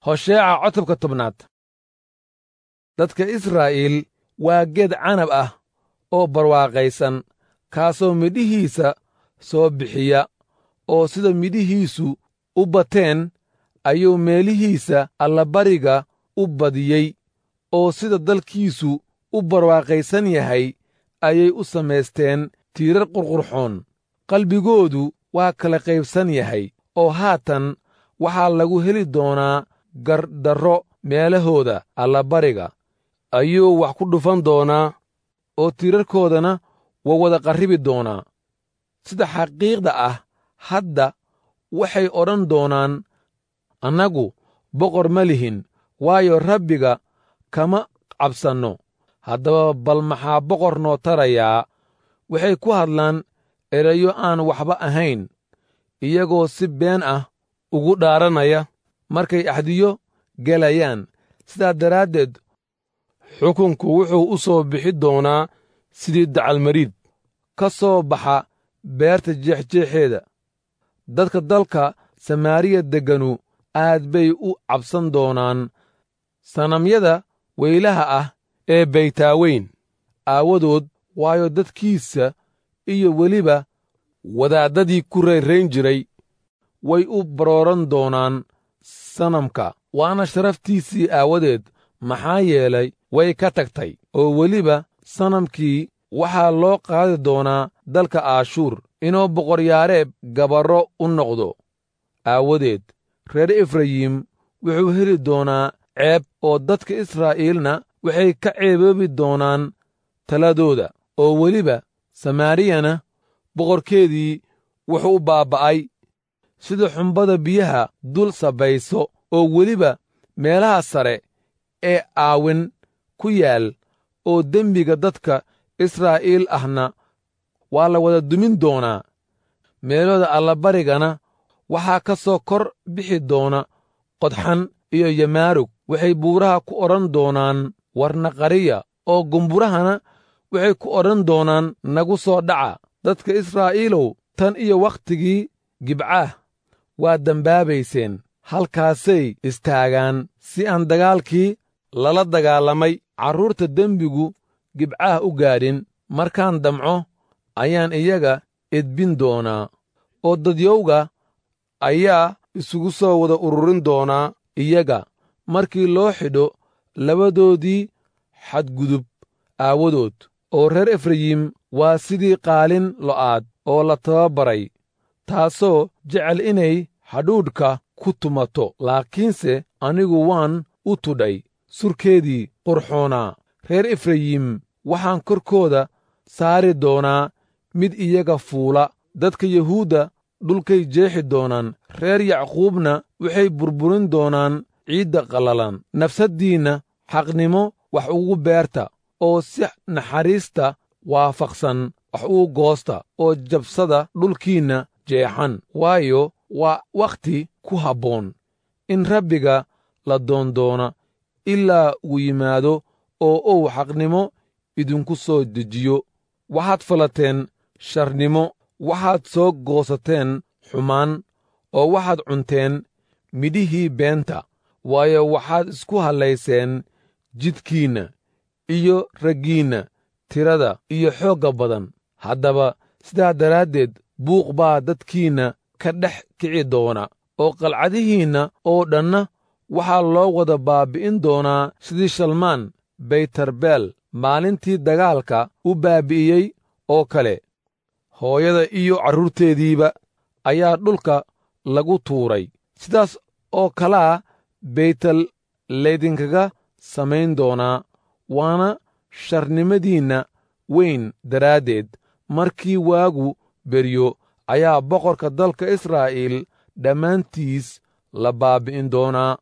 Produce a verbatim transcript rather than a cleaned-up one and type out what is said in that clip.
Hosheeca cutubka tobnaad. Dadka Israa'iil waa geed canab ah oo barwaaqaysan, kaasoo midhihiisa soo bixiya, oo sida midhihiisu u bateen ayuu meelihiisa allabariga u badiyey, oo sida dalkiisu u barwaaqaysan yahay ayay u samaysteen tiirar qurqurxoon. Qalbigoodu waa kala qaybsan yahay, oo haatan waxaa lagu heli doonaa gardarro meelahooda allabariga ayuu wax ku dhufan doonaa, oo tiirarkoodana waa wada qarribi doonaa. Sida xaqiiqda ah hadda waxay odhan doonaan, annagu boqor ma lihin, waayo, Rabbiga kama cabsanno. Haddaba bal maxaa boqor noo tarayaa? Waxay ku hadlaan erayo aan waxba ahayn, iyagoo si been ah ugu dhaaranaya markay axdiyo gelayaan. Sidaa daraaddeed xukunku wuxuu u soo bixi doonaa sidii dacalmariid ka soo baxa beerta jeexjeexeeda. Dadka dalka Samaariya degganu aad bay u cabsan doonaan sanamyada weylaha ah ee Baytaaweyn aawadood, waayo, dadkiisa iyo weliba wadaaddadii ku rayrayn jiray way u barooran doonaan sanamka, waana sharaftiisii aawadeed, maxaa yeelay way ka tagtay. Oo weliba sanamkii waxaa loo qaadi doonaa dalka Aashuur inuu boqoryaareeb gabarro u noqdo aawadeed. Reer Efrayim wuxuu heli doonaa ceeb, oo dadka Israa'iilna waxay ka ceeboobi doonaan taladooda. Oo weliba Samaariyana boqorkeedii wuxuu u baaba'ay sida xumbada biyaha dul sabayso, oo weliba meelaha sare ee Aawin ku yaal oo dembiga dadka Israa'iil ahna waa la wada dumin doonaa. Meelooda allabarigana waxaa ka soo kor bixi doona qodxan iyo yamaarug. Waxay buuraha ku odhan doonaan, warnaqariya, oo gumburahana waxay ku odhan doonaan, nagu soo dhaca. Dadka Israa'iilow, tan iyo wakhtigii Gibcaah waa dembaabayseen. Halkaasay istaagaan si aan dagaalkii lala dagaalamay carruurta dembigu Gibcaah u gaadhin. Markaan damco ayaan iyaga edbin doonaa, oo dadyowga ayaa isugu soo wada ururin doonaa iyaga markii loo xidho labadoodii xadgudub aawadood. Oo reer Efrayim waa sidii qaalin lo'aad oo la tababaray, taasoo jecel inay hadhuudhka ku tumato, laakiinse anigu waan u tudhay surkeedii qurxoonaa. Reer Efrayim waxaan korkooda saari doonaa mid iyaga fuula. Dadka Yuhuudda dhulkay jeexi doonaan, reer Yacquubna waxay burburin doonaan ciidda qallalan. Nafsaddiinna xaqnimo wax ugu beerta, oo si naxariista waafaqsan wax ugu goosta, oo jabsada dhulkiinna jeexan, waayo, waa wakhti ku habboon in Rabbiga la doondoona ilaa uu yimaado oo uu xaqnimo idinku soo dejiyo. Waxaad falateen sharnimo, waxaad soo goosateen xumaan, oo waxaad cunteen midhihii beenta, waayo, waxaad isku hallayseen jidhkiinna iyo raggiinna tirada iyo xoogga badan. Haddaba sidaa daraaddeed buuq baa dadkiinna ka dhex kici doona, oo qalcadihiinna oo dhanna waxaa loo wada baabbi'in doonaa sidii Shalmaan Baytarbeel maalintii dagaalka u baabbi'iyey oo kale. Hooyada iyo carruurteediiba ayaa dhulka lagu tuuray. Sidaas oo kalaa Beytel laydinkaga samayn doonaa, waana sharnimadiinna weyn daraaddeed. Markii waagu beryo ayaa boqorka dalka Israa'iil dhammaantiis la baabbi'in doonaa.